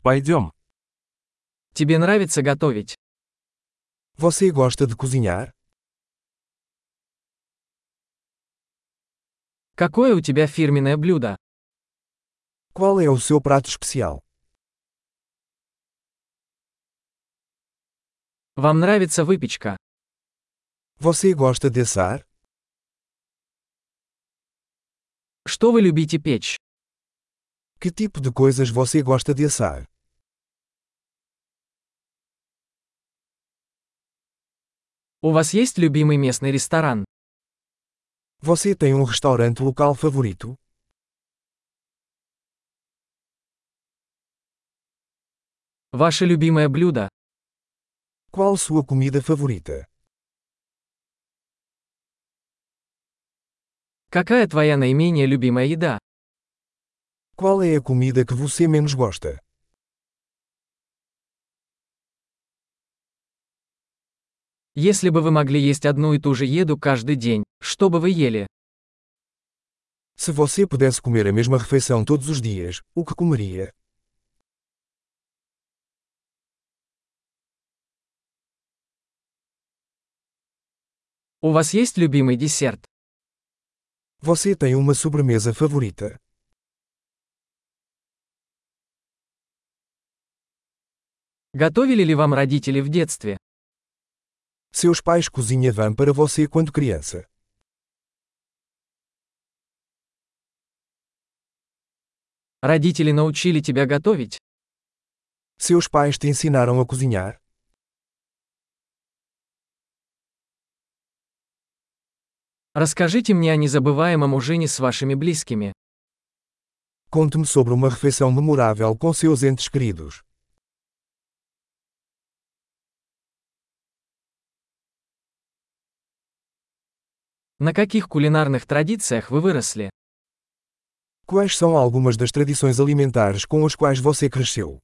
Пойдем. Тебе нравится готовить? Você gosta de cozinhar? Какое у тебя фирменное блюдо? Qual é o seu prato especial? Вам нравится выпечка? Você gosta de assar? Что вы любите печь? Que tipo de coisas você gosta de assar? У вас есть любимый местный ресторан? Você tem um restaurante local favorito? Ваше любимое блюдо? Qual sua comida favorita? Какая твоя наименее любимая еда? Qual é a comida que você menos gosta? Если бы вы могли есть одну и ту же еду каждый день, что бы вы ели? Se você pudesse comer a mesma refeição todos os dias, o que comeria? У вас есть любимый десерт? Você tem uma sobremesa favorita? Готовили ли вам родители в детстве? Seus pais cozinhavam para você quando criança. Родители научили тебя готовить? Seus pais te ensinaram a cozinhar? Расскажите мне о незабываемом ужине с вашими близкими. Conte-me sobre uma refeição memorável com seus entes queridos. На каких кулинарных традициях вы выросли? Quais são algumas das tradições alimentares com as quais você cresceu?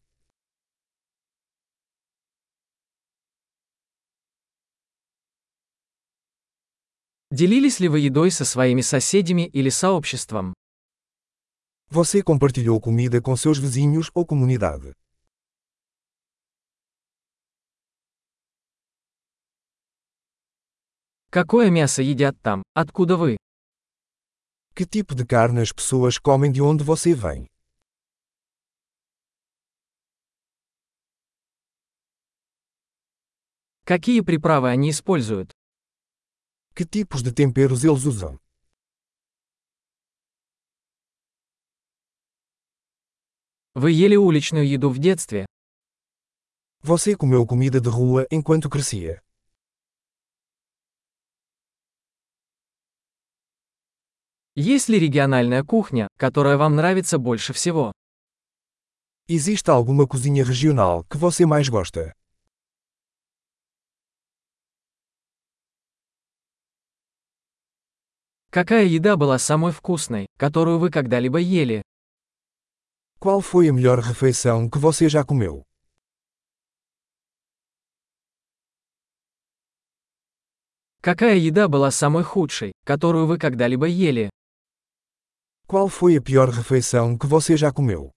Делились ли вы едой со своими соседями или сообществом? Você compartilhou comida com seus vizinhos ou comunidade? Какое мясо едят там, откуда вы? Que tipo de carne as pessoas comem de onde você vem? Какие приправы они используют? Que tipos de temperos eles usam? Вы ели уличную еду в детстве? Você comeu comida de rua enquanto crescia? Есть ли региональная кухня, которая вам нравится больше всего? Existe alguma cozinha regional que você mais gosta? Какая еда была самой вкусной, которую вы когда-либо ели? Qual foi a melhor refeição que você já comeu? Какая еда была самой худшей, которую вы когда-либо ели? Qual foi a pior refeição que você já comeu?